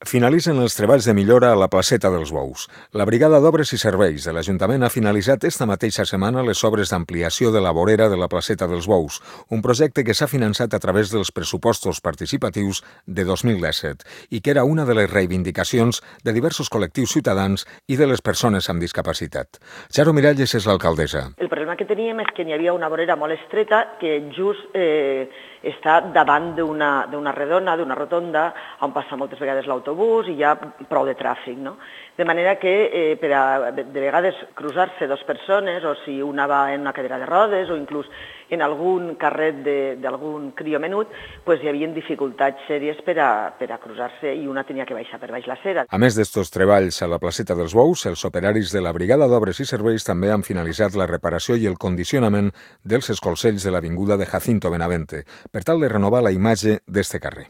Finalitzen els treballs de millora a la placeta dels Bous. La Brigada d'Obres i Serveis de l'Ajuntament ha finalitzat esta mateixa setmana les obres d'ampliació de la vorera de la placeta dels Bous, un projecte que s'ha finançat a través dels pressupostos participatius de 2017 i que era una de les reivindicacions de diversos col·lectius ciutadans i de les persones amb discapacitat. Charo Miralles és l'alcaldessa. El problema que teníem és que n'hi havia una vorera molt estreta que just està davant d'una redona, d'una rotonda, on passa moltes vegades l'autobús i hi ha prou de tràfic, no? De manera que de vegades cruzar-se dues persones, o si una va en una cadira de rodes o inclús en algun carret d'algun crió menut, doncs hi havia dificultats sèries per a cruzar-se i una tenia que baixar per baix l'acera. A més d'estos treballs a la placeta dels Bous, els operaris de la Brigada d'Obres i Serveis també han finalitzat la reparació i el condicionament dels escolcells de l'avinguda de Jacinto Benavente, per tal de renovar la imatge d'este carrer.